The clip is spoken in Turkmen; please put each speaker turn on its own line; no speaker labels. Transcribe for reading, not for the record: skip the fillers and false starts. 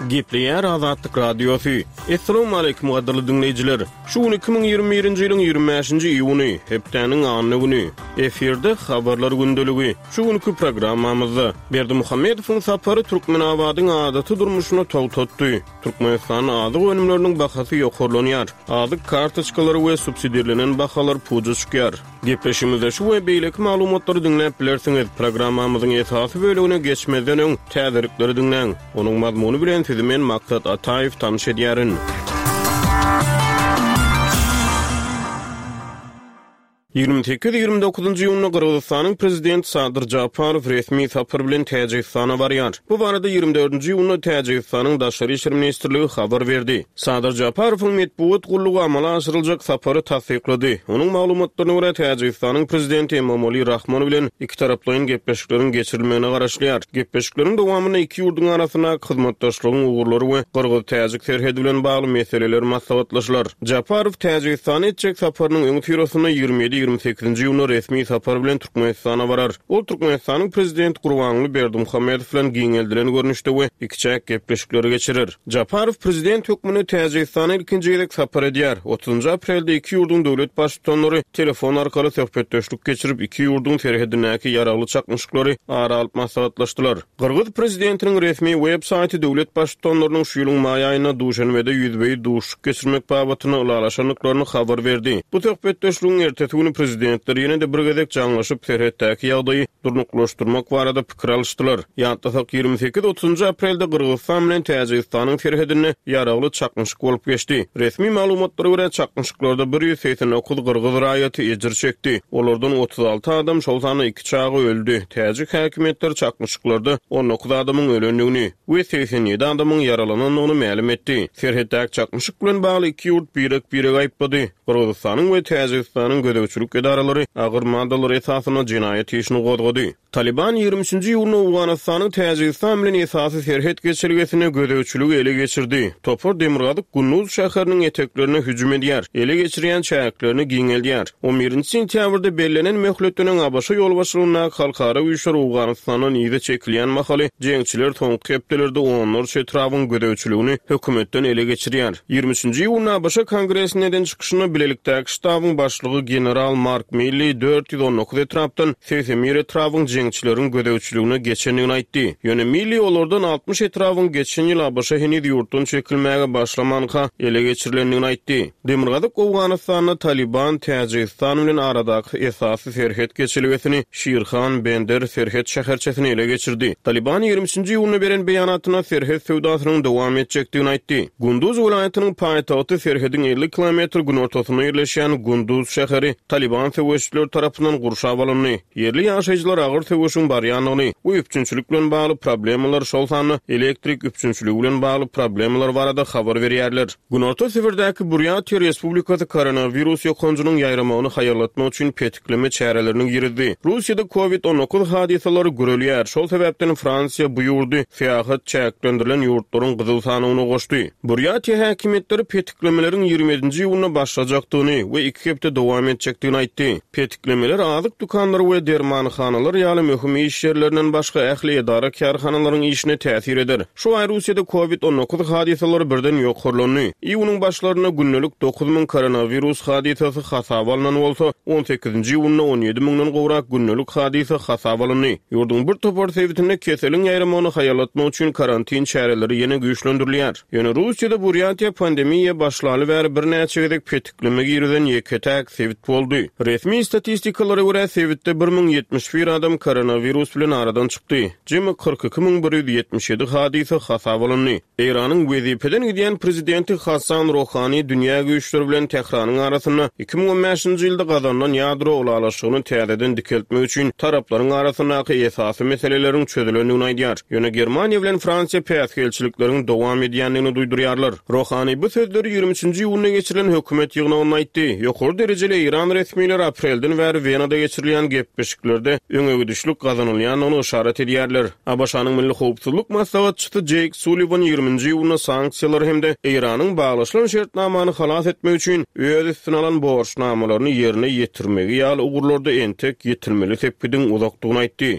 Gepleýär Azatlyk Radiosy. Assalamualaikum gadyrly diňleýjiler. Şu gün 2021-nji ýylyň 25-nji iýuny, hepdäniň anna güni. Efirde habarlar gündeligi. Şu günki programmamyzda Berdimuhamedowyň sapary Türkmenabadyň adaty durmuşyny togtatdy. Türkmenistanda azyk önümleriniň bahasy ýokarlanýar. Azyk kartoçkalary we subsidirlenen bahalar puja çykýar. Gepleşigimizde şu we beýleki maglumatlary diňläp bilersiňiz. Programmamyzyň esasy bölegine geçmezden öň, täzelikleri diňläň. Onuň mazmuny bilen sizi men Maksat Ataýew tanyş edýärin. 28, 29-njy iýunda Gyrgyzystanyň Prezidenti Sadyr Japarow resmi sapar bilen Täjigistana barýar. Bu barada 24-nji iýunda Täjigistanyň Daşary işler ministrligi habar berdi. Sadyr Japarowyň metbugat gullugy amala aşyryljak sapary tassyklady. Onuň maglumatlaryna görä, Täjigistanyň Prezidenti Emomali Rahmon bilen ikitaraplaýyn gepleşikleriň geçirilmegine garaşylýar. Gepleşikleriň dowamynda iki ýurduň arasyndaky hyzmatdaşlygyň ugurlary we gyrgyz-täjik serhedi bilen bagly meseleler maslahatlaşylar. Japarow Täjigistana etjek saparynyň öňüsyrasynda 27, 28-nji iýunda resmi sapar bilen Türkmenistana barar. Ol Türkmenistanyň Prezidenti Gurbanguly Berdimuhamedow bilen giňeldilen görnüşde we ikiçäk gepleşikleri geçirer. Japarow prezident hökmünde Täjigistana ilkinji gezek sapar edýär. Otuzynjy aprelde iki ýurduň döwlet baştutanlary telefon arkaly söhbetdeşlik geçirip, iki ýurduň serhedindäki ýaragly çaknyşyklary ara alyp maslahatlaşdylar. Gyrgyz prezidentiniň resmi web saýty döwlet baştutanlarynyň şu ýylyň maý aýynda Duşenbede ýüzbe-ýüz duşuşyk geçirmek babatynda ylalaşandyklaryny habar berdi. Bu söhbetdeşligiň ertesi güni prezidentler ýene-de bir gezek jaňlaşyp, serhetdäki ýagdaýy durnuklaşdyrmak barada pikir alyşdylar. Ýatlasak, 28, otuzynjy aprelde Gyrgyzystan bilen Täjigistanyň serhedinde ýaragly çaknyşyk bolup geçdi. Resmi maglumatlara görä, çaknyşyklarda 189 gyrgyz raýaty ejir çekdi. Olardan 36 adam, şol sanda iki çaga öldi. Täjik häkimiýetleri çaknyşyklarda 19 adamyň ölendigini we 87 adamyň ýaralanandygyny mälim etdi. Serhetdäki çaknyşyk bilen bagly iki ýurt birek-biregi aýyplady. Gyrgyzystanyň we Täjigistanyň gözegçilik edaralary agyr maddalar esasynda jenaýat işini gozgady. Talyban 23-nji iýunda Owganystanyň Täjigistan bilen esasy serhet geçelgesinde gözegçiligi ele geçirdi. Topar demirgazyk Gunduz şäheriniň eteklerine hüjüm edýär, ele geçirýän çäklerini giňeldýär. On birinji sentýabrda bellenen möhletden öň ABŞ ýolbaşçylygyndaky halkara güýçler Owganystandan yza çekilýän mahaly, jeňçiler soňky hepdelerde onlarça etrabyň gözegçiligini hökümetden ele geçirýär. 23-nji iýunda ABŞ Kongresinde eden çykyşynda bilelikdäki ştabyň başlygy general Mark Milli 419 etrapdan 81 etrabyň jeňçileriň gözegçiligine geçendigini aýtdy. Ýöne Milli olardan 60 etrabyň geçen ýyl ABŞ heniz ýurtdan çekilmäge başlamanka ele geçirilendigini aýtdy. Demirgazyk Owganystanda Talyban Täjigistan bilen aradaky esasy serhet geçelgesini Şirhan Bender serhet şäherçesini ele geçirdi. Talyban 23-nji iýunda beren beýanatynda serhet söwdasynyň dowam etjekdigini aýtdy. Gunduz welaýatynyň paýtagty serhediň 50 kilometr günortasynda ýerleşýän Gunduz şäheri Talyban söweşijileri tarapyndan gurşap alyndy. Ýerli ýaşaýjylar agyr söweşiň barýandygyny we üpjünçilik bilen bagly problemalar, şol sanda elektrik üpjünçiligi bilen bagly problemalar barada habar berýärler. Günorta Sibirdäki Burýatiýa Respublikasy koronawirus ýokanjynyň ýaýramagyny haýallatmak üçin petikleme çärelerini girizdi. Russiýada Covid 19 hadysalary gürelýär, şol sebäpden Fransiýa bu ýurdy syýahat çäklendirilen ýurtlaryň gyzyl sanawyna goşdy. Burýatiýa häkimiýetleri petiklemeleriň 27-nji iýunda başlajakdygyny we iki hepde dowam etjekdigini aýtdy. Petiklemeler azyk dükanlary we dermanhanalar ýaly möhüm iş ýerlerinden başga ähli edara-kärhanalaryň işine täsir eder. Şu aý Russiýada Covid 19 hadysalary birden ýokarlandy. Iýunyň başlarynda gündelik 9000 koronawirus hadysasy hasaba alnan bolsa, on sekizinji iýunda 17 müňden gowrak gündelik hadysa hasaba alyndy. Ýurduň bir topar sebitinde keseliň ýaýramagyny haýallatmak üçin karantin çäreleri ýene güýçlendirilýär. Ýöne Russiýada Burýatiýa pandemiýa başlaly bäri birnäçe gezek petikleme girizen ýeke-täk sebit boldy. Resmi statistikalara görä, sebitde 1071 adam koronawirus bilen aradan çykdy. Jemi 42 177 hadysa hasaba alyndy. Eýranyň wezipeden gidýän prezidenti Hassan Rohani dünýä güýçleri bilen Tähranyň arasynda 2015-nji ýylda gazanylan ýadro ylalaşygyny täzeden dikeltmek üçin taraplaryň arasyndaky esasy meseleleriň çözülendigini aýdýar. Ýöne Germaniýa bilen Fransiýa päsgelçilikleriň dowam edýändigini duýdurýarlar. Rohani bu sözleri 23-nji iýunda geçirilen hökümet ýygnagynda aýtdy. Ýokary derejeli eýran resmileri aprelden bäri Wenada geçirilýän gepleşiklerde öňegidişlik gazanylýandygyny yşarat edýärler. ABŞ-nyň Milli howpsuzlyk maslahatçysy Jeýk Sulliwan 20-nji iýunda sanksiýalary hem-de Eýranyň baglaşylan şertnamany halas etmek üçin öz üstüne alan borçnamalaryny ýerine ýetirmegi ýaly ugurlarda entek ýetilmeli sepgidiň uzakdygyny aýtdy.